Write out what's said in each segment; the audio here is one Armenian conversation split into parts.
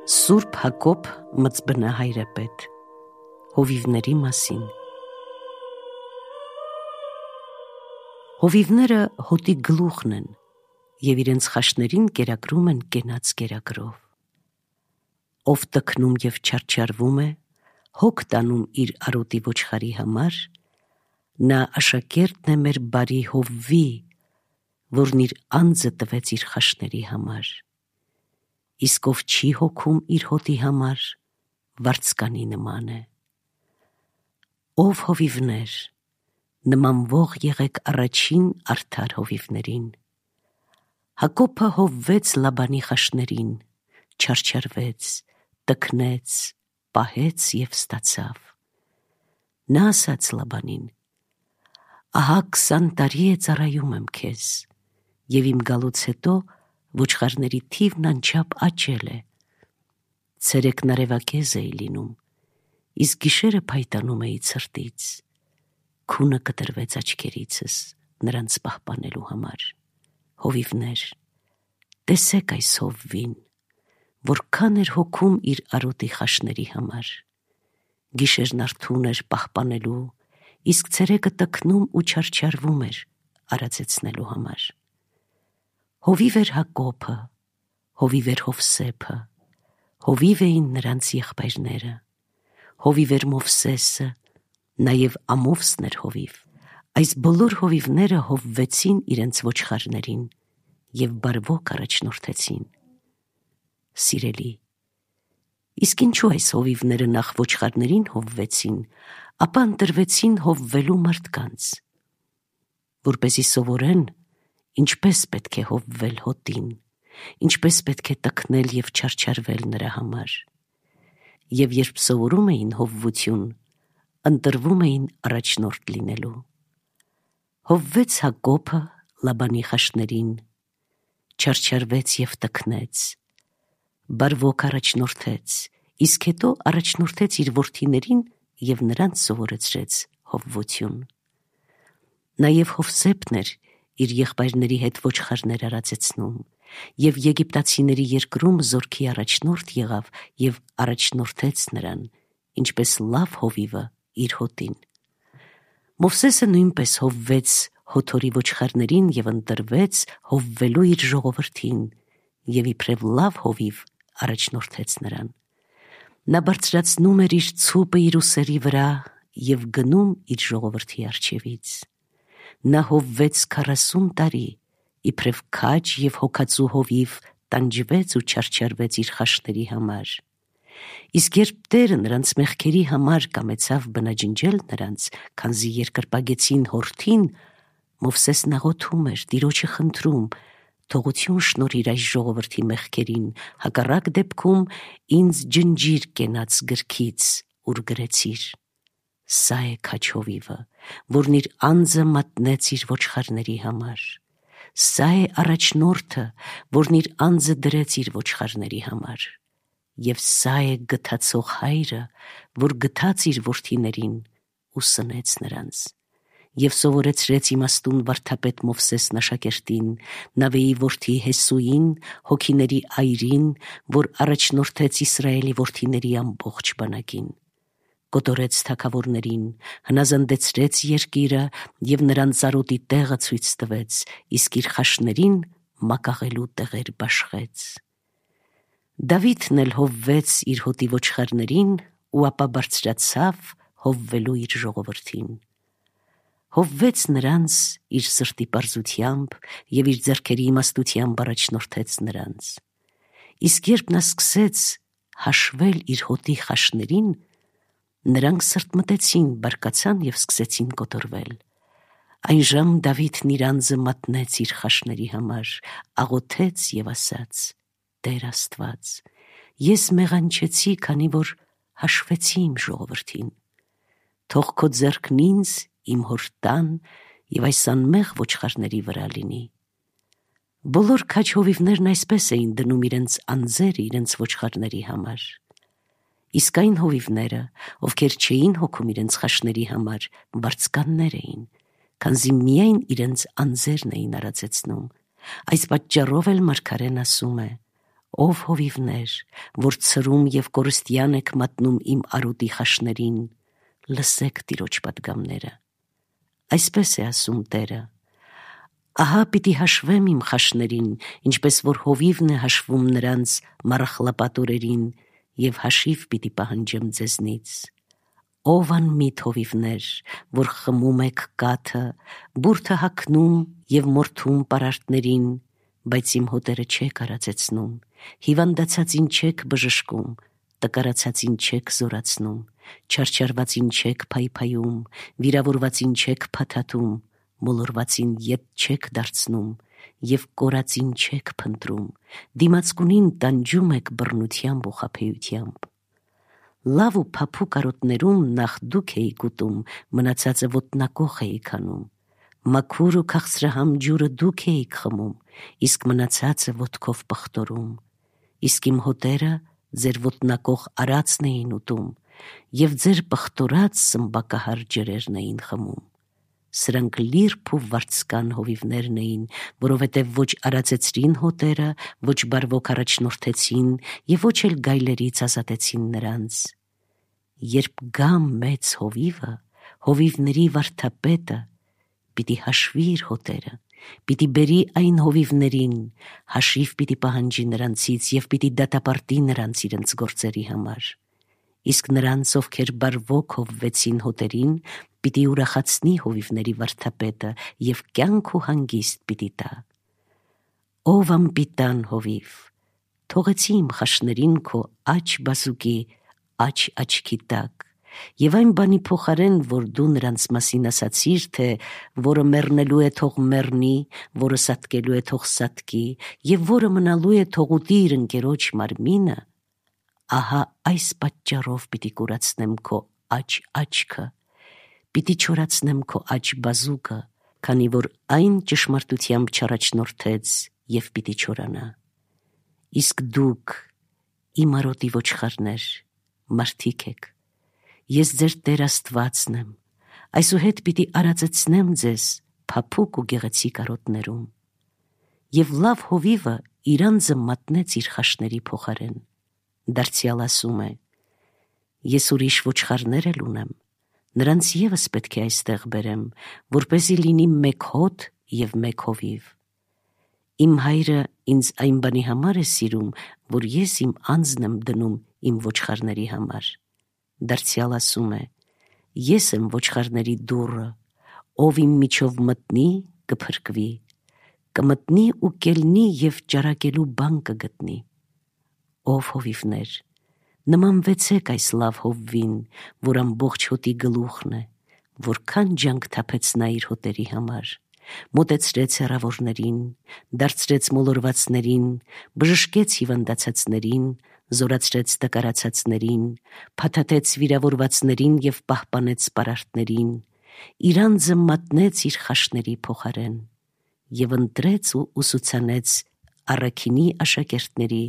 Սուրբ Հակոբ մծբնահայրապետ հովիվների մասին։ Հովիվները հոտի գլուխն են և իրենց խաշներին կերակրում են կենաց կերակրով։ Ով տքնում և չարչարվում է, հոգ տանում իր արոտի ոչխարի համար, նա աշակերտն է մեր բարի Հովվի, որն իր անձը տվեց իր խաշների համար։ Իսկ ով չի հոգում իր հոտի համար, վարձկանի նման է։ Ով հովիվներ, նմանվող եղեք առաջին արդար հովիվներին։ Հակոբը հովվեց Լաբանի խաշներին, չարչարվեց, տքնեց, պահեց և ստացավ։ Նա ասաց Լաբանին. ահա 20 տարի է ծառայում եմ քեզ, և իմ գալուց հետո ոչխարների թիվն անչափ աճել է։ Ցերեկն արևակեզ էի լինում, իսկ գիշերը փայտանում էի ցրտից։ Քունը կտրվեց աչքերիցս նրանց պահպանելու համար։ Հովիվներ, տեսեք այս Հովվին, որքան էր հոգում իր արոտի խաշների համար։ Գիշերն արթուն էր պահպանելու, իսկ ցերեկը տքնում ու չարչարվում էր արածեցնելու համար։ Հովիվ էր Հակոբը, հովիվ էր Հովսեփը, հովիվ էին նրանց եղբայրները, հովիվ էր Մովսեսը, նաև Ամովսն էր հովիվ։ Այս բոլոր հովիվները հովվեցին իրենց ոչխարներին և բարվոք առաջնորդեցին։ Սիրելի, իսկ ինչու այս հովիվները նախ ոչխարներին հովվեցին, ապա ընտրվեցին հովվելու մարդկանց, որպեսզի սովորեն, ինչպես պետք է հովվել հոտին, ինչպես պետք է տքնել և չարչարվել նրա համար։ Եվ երբ սովորում էին հովվություն, ընտրվում էին առաջնորդ լինելու։ Հովվեց Հակոբը Լաբանի խաշներին, չարչարվեց և տքնեց, բարվոք առաջնորդեց, իսկ հետո առաջնորդեց իր որդիներին և նրանց սովորեցրեց հովվություն։ Նաև Հովսեփն էր իր եղբայրների հետ ոչխարներ արածեցնում, և եգիպտացիների երկրում զորքի առաջնորդ եղավ և առաջնորդեց նրան, ինչպես լավ հովիվը իր հոտին։ Մովսեսը նույնպես հովվեց Հոթորի ոչխարներին և ընտրվեց հովվելու իր ժողովրդին և իբրև լավ հովիվ առաջնորդեց նրան։ Նա բարձրացնում էր իր ցուպը իր ուսերի վրա և գնում իր ժողովրդի առջևից։ Նա հովվեց 40 տարի, իբրև քաջ և հոգածու հովիվ տանջվեց ու չարչարվեց իր խաշների համար։ Իսկ երբ Տերը նրանց մեղքերի համար կամեցավ բնաջնջել նրանց, քանզի երկրպագեցին հորթին, Մովսեսն աղոթում էր, Տիրոջը խնդրում. թողություն շնորհիր այս ժողովրդի մեղքերին, հակառակ դեպքում ինձ ջնջիր կենաց գրքից, ուր գրեցիր։ Սա է քաջ հովիվը, որն իր անձը մատնեց իր ոչխարների համար։ Սա է առաջնորդը, որն իր անձը դրեց իր ոչխարների համար։ Եվ սա է գթացող հայրը, որ գթաց իր որդիներին ու սնեց նրանց։ Եվ սովորեցրեց իմաստուն վարդապետ Մովսեսն աշակերտին, Նավեի որդի Հեսուին, հոգիների այրին, որ առաջնորդեց Իսրայելի որդիների ամբողջ բանակին։ Կոտորեց թագավորներին, հնազանդեցրեց երկիրը և նրանց արոտի տեղը ցույց տվեց, իսկ իր խաշներին մակաղելու տեղեր բաշխեց։ Դավիթն էլ հովվեց իր հոտի ոչխարներին ու ապա բարձրացավ հովվելու իր ժողովրդին։ Հովվեց նրանց իր սրտի պարզությամբ և իր ձեռքերի իմաստությամբ առաջնորդեց նրանց։ Իսկ երբ նա սկսեց հաշվել իր հոտի խաշներին, նրանք սրտմտեցին, բարկացան և սկսեցին կոտորվել։ Այնժամ Դավիթն իր անձը մատնեց իր խաշների համար, աղոթեց և ասաց. Տեր Աստված, ես մեղանչեցի, քանի որ հաշվեցի իմ ժողովրդին։ Թող քո ձեռքն ինձ, իմ հոր տան և այս անմեղ ոչխարների վրա լինի։ Բոլոր քաջ հովիվներն այսպես էին դնում իրենց անձերը իրենց ոչխարների համար։ Իսկ այն հովիվները, ովքեր չէին հոգում իրենց խաշների համար, վարձկաններ էին, քանզի միայն իրենց անձերն էին արածեցնում։ Այս պատճառով էլ մարգարեն ասում է. Ով հովիվներ, որ ցրում եւ կորստյան եք մատնում իմ արուտի խաշներին, լսեք Տիրոջ պատգամները։ Այսպես է ասում Տերը. ահա պիտի հաշվեմ իմ խաշներին, ինչպես որ հովիվն է հաշվում նրանց մառախլապատորերին, եւ հաշիվ պիտի պահանջեմ ձեզնից։ Ով անմիտ հովիվներ, որ խմում եք կաթը, բուրդը հագնում եւ մորթում պարարտներին, բայց իմ հոտերը չեք արածեցնում, հիվանդացածին չեք բժշկում, տկարացածին չեք զորացնում, չարչարվածին չեք փայփայում, վիրավորվածին չեք փաթաթում, մոլորվածին ետ չեք դարձնում եւ կորածին չեք փնտրում, դիմացկունին տանջում եք բռնությամբ ու խաբեությամբ։ Լավ ու փափուկ արոտներում նախ դուք էիք ուտում, մնացածը ոտնակոխ էիք անում, մաքուր ու քաղցրահամ ջուրը դուք էիք խմում, իսկ մնացածը ոտքով պղտորում, իսկ իմ հոտերը ձեր ոտնակոխ արածն էին ուտում եւ ձեր պղտորած սմբակահար ջրերն էին խմում։ Սրանք լիրբ ու վարձկան հովիվներն էին, որովհետև ոչ արածեցրին հոտերը, ոչ բարվոք առաջնորդեցին եւ ոչ էլ գայլերից ազատեցին նրանց։ Երբ գա մեծ հովիվը, հովիվների վարդապետը, պիտի հաշվի իր հոտերը, պիտի բերի այն հովիվներին, հաշիվ պիտի պահանջի նրանցից եւ պիտի դատապարտի նրանց իրենց գործերի համար։ Իսկ նրանց, ովքեր բարվոք հովվեցին հոտերին, պիտի ուրախացնի հովիվների վարդապետը եւ կյանք ու հանգիստ պիտի տա։ Ով անպիտան հովիվ, թողեցի իմ խաշներին քո աջ բազուկի աջ աչքի տակ, եւ այն բանի փոխարեն, որ դու նրանց մասին ասացիր, թե որը մեռնելու է թող մեռնի, որը սատկելու է թող սատկի, եւ որը մնալու է թող ուտի իր ընկերոջ մարմինը, ահա այս պատճառով պիտի կուրացնեմ քո աջ աչքը, պիտի չորացնեմ քո աջ բազուկը, քանի որ այն ճշմարտությամբ չառաջնորդեց եւ պիտի չորանա։ Իսկ դուք, իմ արոտի ոչխարներ, մարդիկ եք, ես ձեր Տեր Աստվածն եմ, այսուհետ պիտի արածեցնեմ ձեզ փափուկ ու գեղեցիկ արոտներում։ Եվ լավ հովիվը իր անձը մատնեց իր խաշների փոխարեն, դարձյալ ասում է. ես ուրիշ ոչխարներ էլ ունեմ, նրանց եւս պետք է այստեղ բերեմ, որպեսզի լինի մեկ հոտ եւ մեկ հովիվ։ Իմ հայրը ինձ այն բանի համար է սիրում, որ ես իմ անձն եմ դնում իմ ոչխարների համար։ Դարձյալ ասում է. ես եմ ոչխարների դուռը, ով իմ միջով մտնի, կփրկվի, կմտնի ու կելնի եւ ճարակելու բան կգտնի։ Ով հովիվներ, նմանվեցեք այս լավ հովվին, որ ամբողջ հոտի գլուխն է, որքան ջանք թափեց նա իր հոտերի համար, մոտեցրեց հեռավորներին, դարձրեց մոլորվածներին, բժշկեց հիվանդացածներին, զորացրեց տկարացածներին, փաթաթեց վիրավորվածներին եւ պահպանեց պարարտներին, իր անձը մատնեց իր խաշների փոխարեն եւ ընտրեց ու ուսուցանեց առաքինի աշակերտների,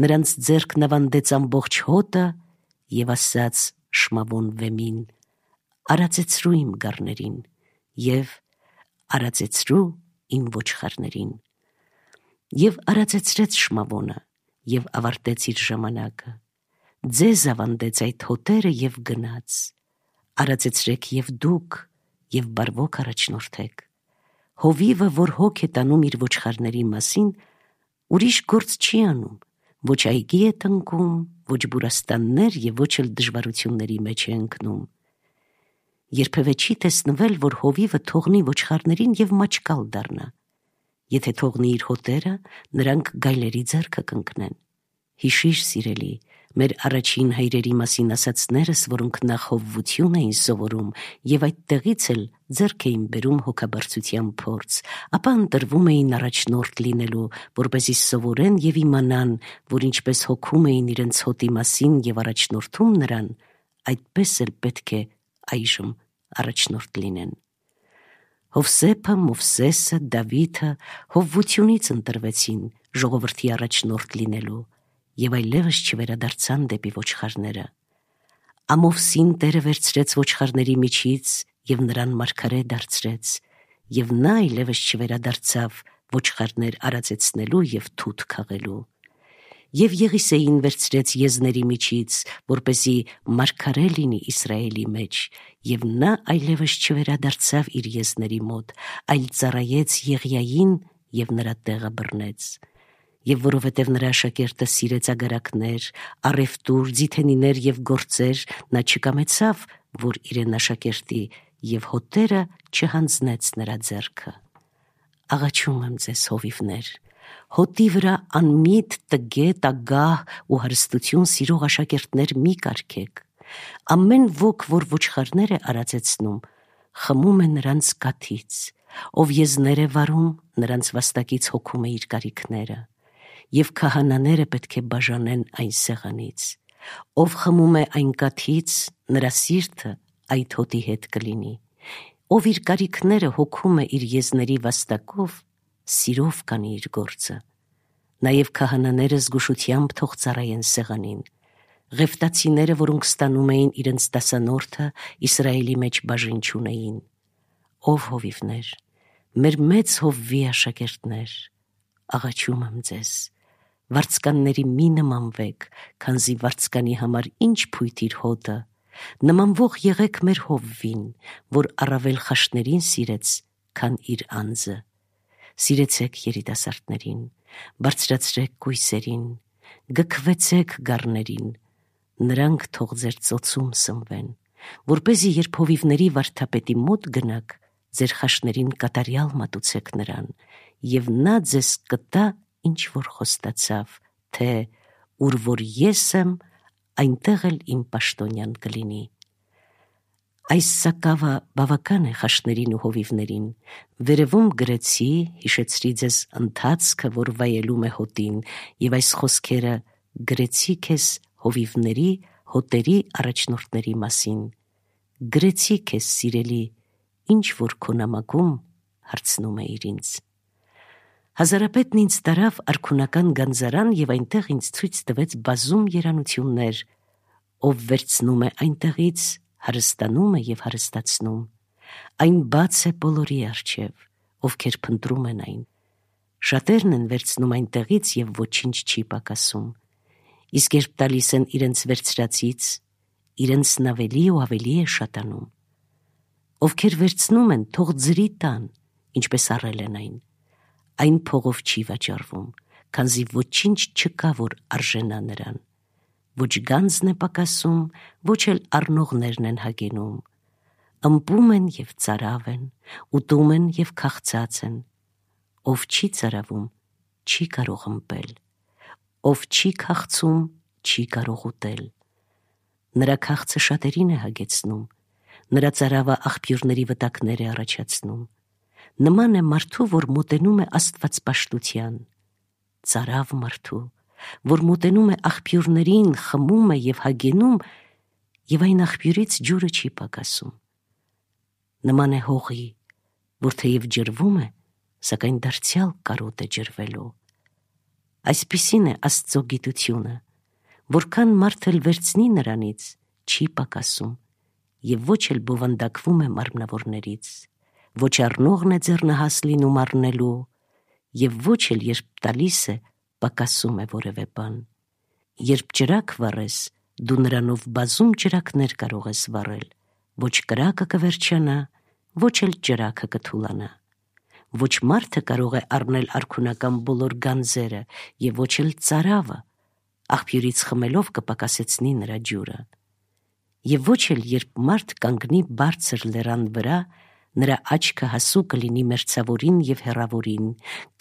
նրանց ձեռքն ավանդեց ամբողջ հոտը եւ ասաց Շմավոն վեմին. արածեցրու իմ գառներին եւ արածեցրու իմ ոչխարներին։ Եվ արածեցրեց Շմավոնը եւ ավարտեց իր ժամանակը, ձեզ ավանդեց այդ հոտերը եւ գնաց, արածեցրեք եւ դուք եւ բարվոք առաջնորդեք։ Հովիվը, որ հոգ է տանում իր ոչխարների մասին, ուրիշ գործ չի անում, ոչ այգի է տնկում, ոչ բուրաստաններ եւ ոչ էլ դժվարությունների մեջ է ընկնում։ Երբևէ չի տեսնվել, որ հովիվը թողնի ոչխարներին եւ մաչկալ դառնա։ Եթե թողնի իր հոտերը, նրանք գայլերի ձեռքը կընկնեն։ Հիշիր, սիրելի, մեր առաջին հայրերի մասին ասածներս, որոնք նախ հովվություն էին սովորում եւ այդտեղից էլ ձեռք էին բերում հոգաբարձության փորձ, ապա ընտրվում էին առաջնորդ լինելու, որպեսզի սովորեն եւ իմանան, որ ինչպես հոգում էին իրենց հոտի մասին եւ առաջնորդում նրան, այդպես էլ պետք է այժմ առաջնորդ լինեն։ Հովսեփը, Մովսեսը, Դավիթը հովվությունից ընտրվեցին ժողովրդի առաջնորդ լինելու եւ այլևս չվերադարձան դեպի ոչխարները։ Ամովսին Տերը վերցրեց ոչխարների միջից եւ նրան մարգարե դարձրեց, եւ նա այլևս չվերադարձավ ոչխարներ արածեցնելու եւ թութ քաղելու։ Եվ Եղիսեին վերցրեց եզների միջից, որպեսզի մարգարե լինի Իսրայելի մեջ, եւ նա այլևս չվերադարձավ իր եզների մոտ, այլ ծառայեց Եղիային եւ նրա տեղը բռնեց։ Եվ որովհետև նրա աշակերտը սիրեց ագարակներ, առևտուր, ձիթենիներ եւ գործեր, նա չկամեցավ, որ իրեն աշակերտի, եւ հոտերը չհանձնեց նրա ձեռքը։ Աղաչում եմ ձեզ, հովիվներ, հոտի վրա անմիտ, տգետ, ագահ ու հարստություն սիրող աշակերտներ մի կարգեք։ Ամեն ոք, որ ոչխարներ է արածեցնում, խմում է նրանց կաթից, ով եզներ է վարում, նրանց վաստակից հոգում է իր կարիքները, եւ քահանաները պետք է բաժանեն այն սեղանից, ով խմում է այն կաթից, նրա սիրտը այդ հոտի հետ կլինի, ով իր կարիքները հոգում է իր եզների վաստակով, սիրով կանի իր գործը։ Նաև քահանաները զգուշությամբ թող ծառայեն սեղանին։ Ղևտացիները, որոնք ստանում էին իրենց դասանորդը, Իսրայելի մեջ բաժին չունեին։ Ով հովիվներ, մեր մեծ հովվի աշակերտներ, աղաչում եմ ձեզ, վարձկանների մի նմանվեք, քանզի վարձկանի համար ինչ փույթ իր հոտը, նմանվող եղեք մեր հովվին, որ առավել խաշներին սիրեց, քան իր անձը։ Սիրեցեք երիտասարդներին, բարձրացրեք կույսերին, գքվեցեք գառներին, նրանք թող ձեր ծոցում սնվեն, որպեսզի երբ հովիվների վարդապետի մոտ գնաք, ձեր խաշներին կատարյալ մատուցեք նրան, եւ նա ձեզ կտա, ինչ որ խոստացավ, թե ուր որ ես եմ, այնտեղ էլ իմ պաշտոնյան կլինի։ Այս սակավը բավական է խաշներին ու հովիվներին, վերևում գրեցի, հիշեցրի ձեզ ընթացքը, որ վայելում է հոտին, եւ այս խոսքերը գրեցի քեզ հովիվների, հոտերի առաջնորդների մասին։ Գրեցի քեզ, սիրելի, ինչ որ քո նամակում հարցնում էիր ինձ։ Հազարապետն ինձ տարավ արքունական գանձարան եւ այնտեղ ինձ ցույց տվեց բազում երանություններ, ով վերցնում է այնտեղից, հարստանում է եւ հարստացնում, այն բաց է բոլորի առջև, ովքեր փնտրում են այն, շատերն են վերցնում այնտեղից եւ ոչինչ չի պակասում, իսկ երբ տալիս են իրենց վերցրածից, իրենցն ավելի ու ավելի է շատանում, ովքեր վերցնում են, թող ձրի տան, ինչպես առել են այն փողով չի վաճառվում, քանզի ոչինչ չկա, որ արժենա նրան, ոչ գանձն է պակասում, ոչ էլ առնողներն են հագենում, ըմպում են եւ ծարավ են, ուտում են եւ քաղցած են, ով չի ծարավում, չի կարող ըմպել, ով չի քաղցում, չի կարող ուտել, նրա քաղցը շատերին է հագեցնում, նրա ծարավը աղբյուրների վտակներ է առաջացնում, նման է մարդու, որ մոտենում է աստվածպաշտության, ծարավ մարդու, որ մոտենում է աղբյուրներին, խմում է եւ հագենում, եւ այն աղբյուրից ջուրը չի պակասում, նման է հողի, որ թեև ջրվում է, սակայն դարձյալ կարոտ է ջրվելու։ Այսպիսին է Աստծո գիտությունը, որքան մարդ էլ վերցնի նրանից, չի պակասում, եւ ոչ էլ բովանդակվում է մարմնավորներից, ոչ առնողն է ձեռնահաս լինում առնելու, եւ ոչ էլ երբ տալիս է, պակասում է որևէ բան։ Երբ ճրակ վառես, դու նրանով բազում ճրակներ կարող ես վառել, ոչ կրակը կվերջանա, ոչ էլ ճրակը կթուլանա։ Ոչ մարդը կարող է առնել արքունական բոլոր գանձերը եւ ոչ էլ ծարավը, աղբյուրից խմելով կպակասեցնի նրա ջուրը։ Եվ ոչ էլ երբ մարդ կանգնի բարձր լեռան վրա, նրա աչքը հասու կլինի մերձավորին եւ հեռավորին,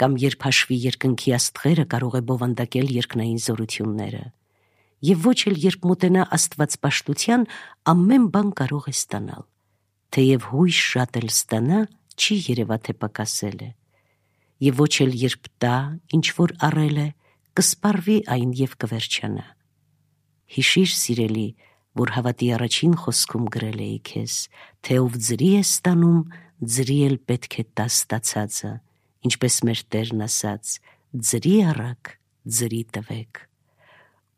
կամ երբ հաշվի երկնքի աստղերը կարող է բովանդակել երկնային զորությունները։ Եվ ոչ էլ երբ մոտենա աստվածպաշտության, ամեն բան կարող է ստանալ, թեև հույս շատ էլ ստանա, չի երևա թե պակասել է, եւ ոչ էլ երբ տա, ինչ որ առել է, կսպառվի այն եւ կվերջանա։ Հիշիր, սիրելի, որ հավատի առաջին խոսքում գրել էի քեզ, թե ով ձրի է ստանում, ձրի էլ պետք է տա ստացածը, ինչպես մեր Տերն ասաց, ձրի առաք, ձրի տվեք։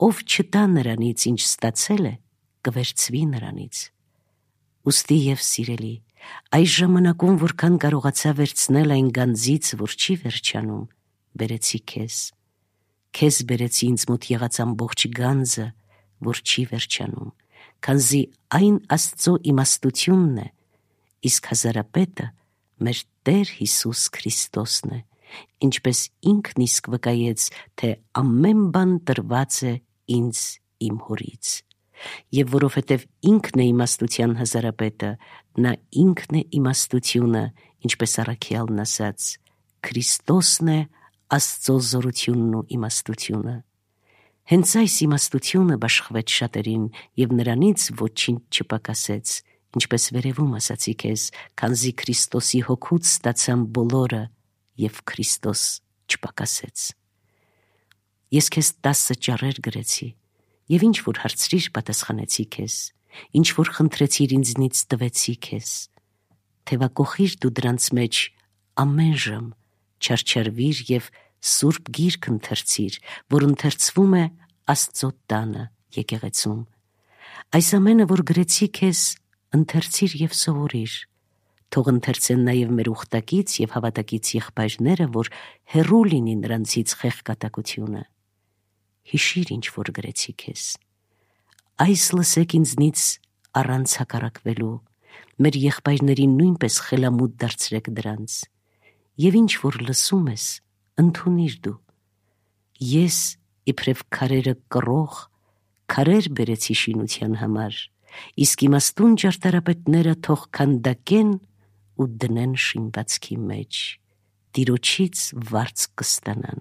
Ով չտա նրանից, ինչ ստացել է, կվերցվի նրանից։ Ուստի եւ սիրելի, այս ժամանակում որքան կարողացա վերցնել այն գանձից, որ չի վերջանում, բերեցի քեզ։ քեզ բերեցի ինձ մոտ եղած ամբողջ գանձը, որ չի վերջանում, քանզի այն Աստծո իմաստությունն է, իսկ հազարապետը մեր Տեր Հիսուս Քրիստոսն է, ինչպես ինքն իսկ վկայեց, թե ամեն բան տրված է ինձ իմ Հորից։ Եվ որովհետև ինքն է իմաստության հազարապետը, նա ինքն է իմաստությունը, ինչպես առաքյալն ասաց, Քրիստոսն է Աստծո զորությունն ու իմաստությունը։ Հենց այս իմաստությունը բաշխվեց շատերին և նրանից ոչինչ չպակասեց, ինչպես վերևում ասացի քեզ, քանզի Քրիստոսի հոգուց ստացան բոլորը և Քրիստոս չպակասեց։ Ես քեզ 10 ճառեր գրեցի, և ինչ որ հարցրիր պատասխանեցի քեզ, ինչ որ խնդրեցիր ինձնից տվեցի քեզ, թևակողիր դու դրանց մեջ ամեն ժամ, չարչարվիր և Սուրբ Գիրք ընթերցիր, որ ընթերցվում է Աստծո տանը եկեղեցում։ Այս ամենը, որ գրեցի քեզ, ընթերցիր և սովորիր, թող ընթերցեն նաև մեր ուխտակից և հավատակից եղբայրները, որ հեռու լինի նրանցից խեղկատակությունը։ Հիշիր, ինչ որ գրեցի քեզ։ Այս լսեք ինձնից առանց հակառակվելու, մեր եղբայրներին նույնպես խելամուտ դարձրեք դրանց, և ինչ որ լսում ես, ընդունիր դու։ Ես իբրև քարերը կռող, քարեր բերեցի շինության համար, իսկ իմաստուն ճարտարապետները թող քանդակեն ու դնեն շինվածքի մեջ, Տիրոջից վարձ կստանան,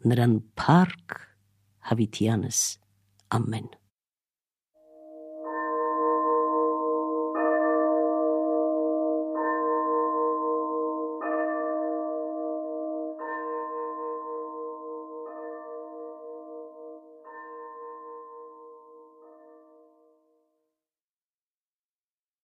նրան փառք հավիտյանս, ամեն։